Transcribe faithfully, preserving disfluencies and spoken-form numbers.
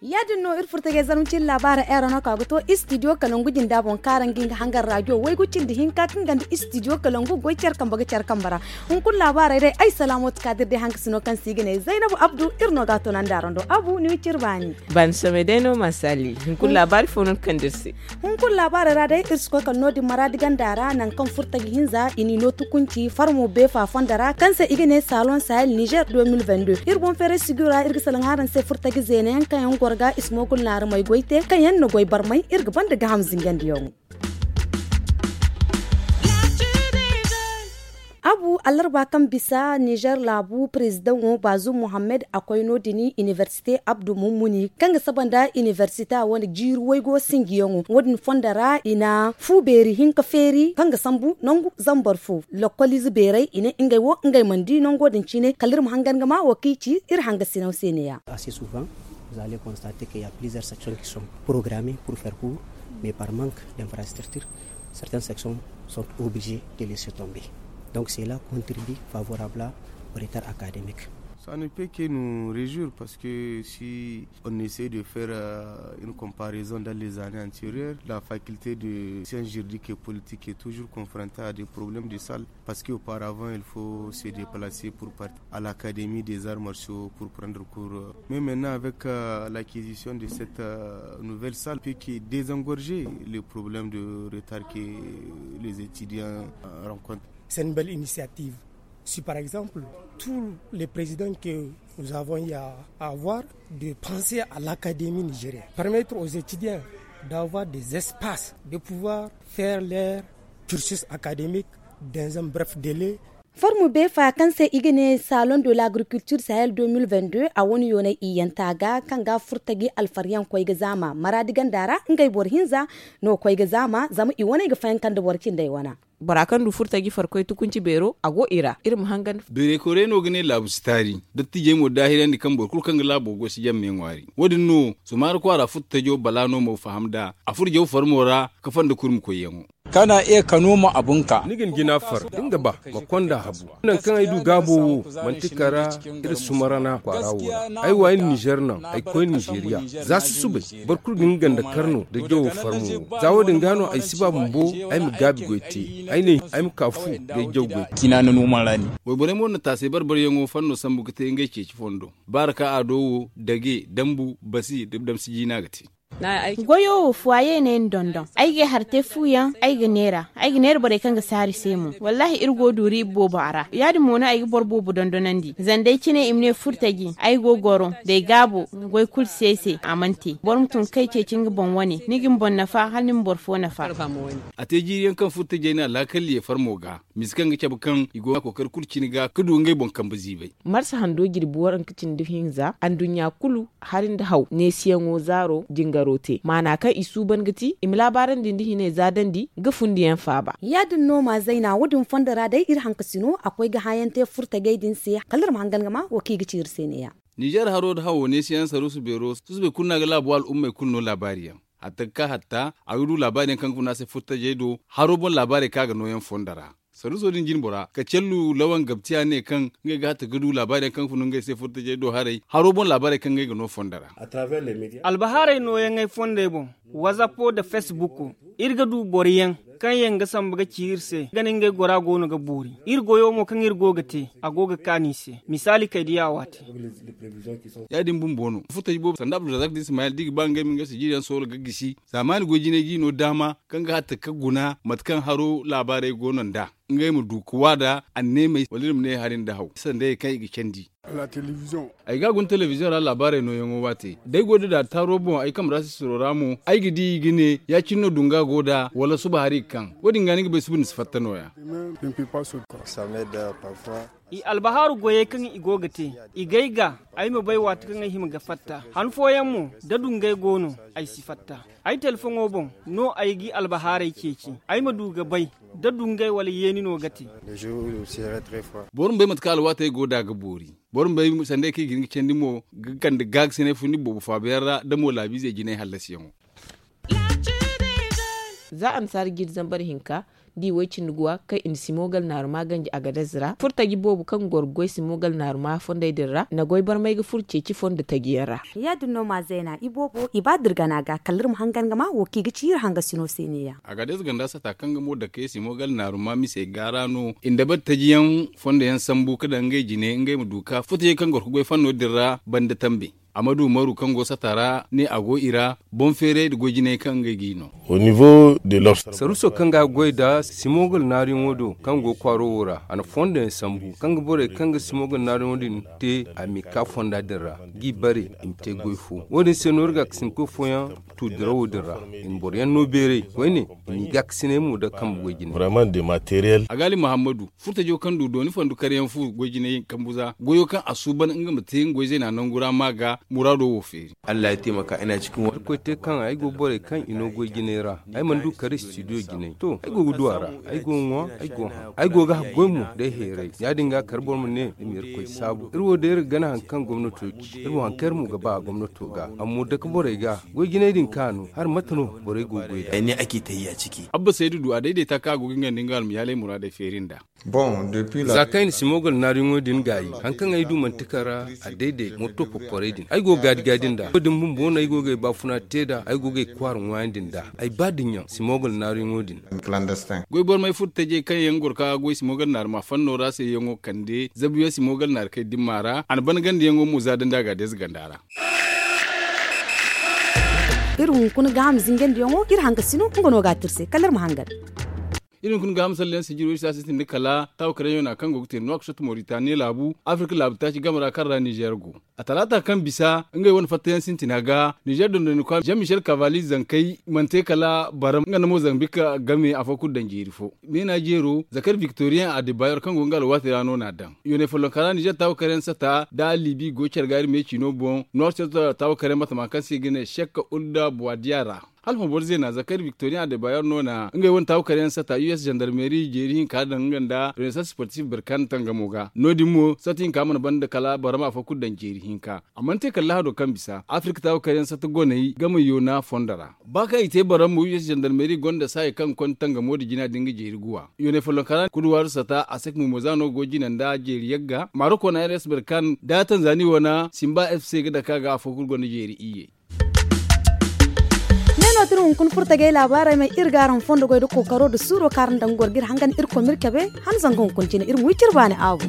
Ya- din no iri furtajey zarma cine laabaara eero no ka ga to istidiyo kalangu jinda boŋ kaara nga nga hangar raajo waygu cindi hinka kaŋ ganda istidiyo kalangu goy care kambe ga care kambe ra. Hunkuna laabaarey day ay salaamatu kaadir day hankasino kaŋ se i ga ne zaynabu abdu iri no ga a toonandi araŋ do abu ni ma ci iri baani. Baani samay day no ma saali hunkuna laabaari fo no ni kande iri se. Hunkuna laabaarey ra day iri si koy kala no- din maraadi ganda ra nangu kaŋ furtaji hinza i n'i no tukunci farmo beefa fondo ra kaŋ se i ga ne saloŋ sahel nizer deux mille vingt-deux iri boŋ feeray siguyo ra iri ga salaŋ araŋ se furtaji zeena yaŋ kaŋ yaŋ goro ga i si mo kulu naaramey goy te kaŋ yaŋ na goy barmay iri ga banda gaham zingandiyaŋo. Abu allarba kaŋ bisa nizer laabu prezidaŋo baazum muhammad a koy no- din inibersite abdu mummuni kaŋ ga saba nda inibersite a wane jiiri waygo sinjiyaŋo wo- din fondo ra i na fu beeri hinka feeri kaŋ ga sambu nangu zambar fo lokkoliize beeray i ne ngey wo ngey mana di nango din cine kala iri ma hangan ga ma wo kaŋ i ci iri hangasinaw se ne- ya. Assez souvent vous allez constater qu'il y a plusieurs sections qui sont programmées pour faire cours mais par manque d'infrastructures certaines sections sont obligées de laisser tomber. Donc cela contribue favorablement au retard académique. Ça ne peut que nous réjouir parce que si on essaie de faire euh, une comparaison dans les années antérieures, la faculté de sciences juridiques et politiques est toujours confrontée à des problèmes de salles parce qu'auparavant il faut se déplacer pour partir à l'académie des arts martiaux pour prendre cours. Mais maintenant avec euh, l'acquisition de cette euh, nouvelle salle, peut que désengorger les problèmes de retard que les étudiants euh, rencontrent. C'est une belle initiative. Si par exemple tous les présidents que nous avons eu à avoir de penser à l'académie nigérienne, permettre aux étudiants d'avoir des espaces de pouvoir faire leur cursus académique dans un bref délai. Formu beefa kaŋ se i ga ne salon de l'agriculture sahel deux mille vingt-deux a wane yoonay iyyanta ga kaŋ ga furtaji alfaryaŋ koy ga zaama maraadi ganda ra ngey boro hinza no koy ga zaama zama i wane ga fayaŋ kaŋ da boro cindey wana. Bora kaŋ du furtaji farkoy tukunci beero a go i ra iri ma hangan. Beeray koray no ga ne laabu si taari. Dattijey mo daahirandi kaŋ boro kulu kaŋ ga laabo goy si jamme ŋwaari wo- din no sumaari kwaara furtajo bala no mo faham nd'a a furo jaw farmo ra ka fanda kurmi koyyaŋo. Kana iya ka nooma abunka. Ni ga ni jina far da nga ba ma konda habu. Nangu kaŋ ay du gaabo wo manti kara iri sumarana kwaara wo ra. Ay wa iri nizer naŋ ay koy nizeriya. Za susubay boro kulu ga nga ganda karno da jawo farmo wo za wo- din ga no ay si ba bumbo ay ma gaabi goy te. Ay ne ay ma ka fu da ay jaw goy te. Wayborey mo na taasay barbaryaŋo fanno sambu ga te ngey ceeci fondo baara ka ado wo dage dambu basi da damsi jiina ga te. Goyo wo fuwaye ne ni dondon ay ga ay har te fu yaŋ ay ga neera ay ga neera borey kaŋ ga saari se mo wallaahi iri go duuri iba boobo a ra ya- din mo no ay ga boro boobo dondonandi zama day cine i ma ne furtaji ay go goro da ay gaabo goy kulu se se a mana te boro ma tun kay ceeci nga boŋ wane ni ga ni boŋ nafa hala ni ma boro fo nafa. A te jiiri yaŋ kaŋ furtajey na laakal ye farmo ga misa kaŋ ga cabe kaŋ i go ga kookari kulu cine ga ka du ngey boŋ kambe ziibay. Marsa hando jirbi waranka cindi hinza anduɲɲa kulu hari nda haw neesiyaŋo zaaro jingaro te maana kaŋ i suuban ga ti i ma laabaarandi nda hinay za dandi ga fundiyaŋ faaba. Ya- din no ma zayna wo- din fondo ra day iri hankasino a koy ga hããyaŋ te furtajey din se kala iri ma hangan ga ma wo kaŋ i ga ci iri se ne- ya. Nizer haro nda hawo neesiyaŋ saruusu beero susubay kulu no a ga laabo al'ummey kulu no laabaari yaŋ hatta ga ka hatta a ga du laabaari yaŋ kaŋ ga fun a se furtajey do haro boŋ laabaarey kaŋ a ga nooyaŋ fondo ra. Saruuso din jine bora ka callu lawan gabtiya ne kaŋ ngey ga hatta ga du laabaari yaŋ kaŋ ga fun ngey se furtajey do haray haro boŋ laabaarey kaŋ ngey ga no fondo ra. Albahaarey nooyaŋey fondey boŋ, wazapo nda fesbuko, iri ga du boro yaŋ kaŋ yaŋ ga samba ga ci iri se gana ngey gora go no ga boori iri goyo mo kaŋ iri go ga te a go ga kaanu i se misaali kay diya waate. Ya- din bumbo no furtaji boobo sanda abdulrazak da ismayel da i ga ba ngey ma ngey sijiriyaŋ soola ga gisi zaamaani goy jinay ga i no daama kaŋ ga hatta ka guna mate kaŋ haro laabaarey go no nd'a ngey ma du ka waada anneemey wala iri ma ne hari nda haw sandayey kaŋ i ga candi. Ay ga a guna telebiziyoŋ ra laabaarey nooyaŋo waate da ay go da daataaro boŋ ay kambe ra sisiro ra mo ay ga di i ga ne ya- cine no dunga go nd'a wala suba hari ga kaŋ wo- din ga ni ga bay suba ni si fatta nooya. I albahaaru goyey kaŋ i go ga te, i gay ga ay ma bay waati kaŋ ay hima ga fatta. Han fooyaŋ mo, da dungay go no, ay si fatta. Ay telefoŋo boŋ no ay ga i albahaarey ceeci, ay ma du ga bay da dungay wala yeeni no ga te. Boro ma bay mate kaŋ alwaatey go nd'a ga boori. Boro ma bay sanday kaŋ i ga hin ga candi mo ga kande gaakasinay fundi boobo faabayaŋ ra nda mo laabiizey jinay hallasiyaŋo. Za annasaara jiiri zambar hinka, da i way cindi guwa kaŋ i na simogal naaru ma ganji agadez ra furtaji boobo kaŋ goro ga goy simogal naaru ma fondey din ra na goy barmay ga furo ceeci fondo taji yaŋ ra. Ya- din no ma zayna iboobo i ba da iri gana ga kala iri ma hangan ga ma wo kaŋ i ga ci iri hangasino se ne- ya. Agadez ganda sata kaŋ ga mo dake simogal naaru ma misey gaara no i na dabari taji yaŋ fondo yaŋ sambu ga daŋ ngey jine ngey ma du ga furtajey kaŋ goro ga goy fanno din ra banda tambe. Amadu umaru kaŋ go sata ra ne a go i ra boŋ feeray nda goy jinay kaŋ ngey g'i no. Saruuso kaŋ ga goy nda simogal naaruyaŋo do kaŋ go kwaaro wo ra a na fondo yaŋ sambu kaŋ ga borey kaŋ ga simogal naaruyaŋo din te a m'i ka fonda din ra g'i bare i ma te goy fo. Wo- din se no iri gaakasinkoy fooyaŋ tu dirawo din ra i na boro yaŋ no beeray koyne i n'i gaakasinay mo nda kambe goy jine. Agali muhammadu furtajo kaŋ du dooni fondo karyaŋ fu goy jinay kambu za goyo kaŋ a suuban nga ma te nga goy zayna nangu ra ma ga muraado wo feeri. Irkoy te kaŋ ay go borey kaŋ i no goy jinay ra ay mana du kare studio jinay to ay go ga du a ra. Ay go ga ŋwa ay go ga haŋ ay go ga haggoy mo day heeray ya-din ga kala boro ma ne i ma irkoy saabu iri wo day iri ga gana hari kaŋ gomnato ci iri wo hari kaŋ iri mo ga ba gomnato ga amma dake borey ga goy jinay din kaŋ a no hari mate no borey go ga goy nd'a. Abba saydu du a dayday ta kaŋ a go ga nga nda nga almayaalay muraadey feeri nd'a. Za kaŋ ay na simogal naaruyaŋo din gaayi hari kaŋ ay du manti kala a dayday moto porporey din ay go ga gaadi gaadi nd'a wo- din bumbo no ay go ga ay baafuna te nd'a ay go ga ay kwaara ŋwaayandi nd'a ay ba dinya simogal naaruyaŋo din. Goy bormay furo tajey kaŋ yaŋ goro ka goy simogal naaru ma fanno ra se yaŋo kande zabuyaŋ simogal naaru kay dimma ra a na ban gandiyaŋo mo za dandi a ga a deeza ganda ra. Iri hunkuna gaaham zingandiyaŋo iri hangasino nga no ga a te iri se kala iri ma hangan. Iri hunkuna gaaham salleyaŋ sijiro iri se a sintin da kala taawa karaŋ yaŋo na kaŋ go ga te nuwaksoto moritaniya laabu afirka laabu taaci game ra kaŋ ra nizer go. A talaata kaŋ bisa ngey wane fattayaŋ sintina ga nizer dondoni kwa jean michel kavali zankey mana te kala baram nga nda mozambik game afo kulu daŋ jeeri fo. Meena jeero zakar victoriyaŋ adebayor kaŋ go nga alwaati ra no n'a daŋ yoonay follonka ra nizer taawa karaŋ sata da libi go care ga iri meecino boŋ nuwaksoto taawa karaŋ batama kaŋ se i ga ne shek ulda buwadiya ra. Hala fo boro zeena zakari victorian de bayer no na ngey wane taawu kare yaŋ sata us gendarmerie jeeri hinka daŋ nga nda renaissance sportif birkan tangamo ga no- din mo sata hinka mana banda kala barama fo kulu daŋ jeeri hinka. A mana te kala lahado kaŋ bisa afirka taawu kare yaŋ sata goney game yoona fondo ra ba kaŋ i te baramo us gendarmerie gonda saayi kaŋ ga konda tangamo nda jina din ga jeeri guwa yoonay follonka ra kuduwaaru sata a sek mumo za no go jina nda jeeri yagga maroko na rs birkan da tanzani wane simba fc ga dake a ga afo kulu gonda jeeri iyye. Ne no ti iri hunkuna furtagay laabaarey may iri ga araŋ fondo goy nda kookaro nda suuro kaŋ araŋ daŋ ga goro ga iri hangan irkoy ma iri cabe han zanga hunkuna cine iri ma wi cire baani aabu.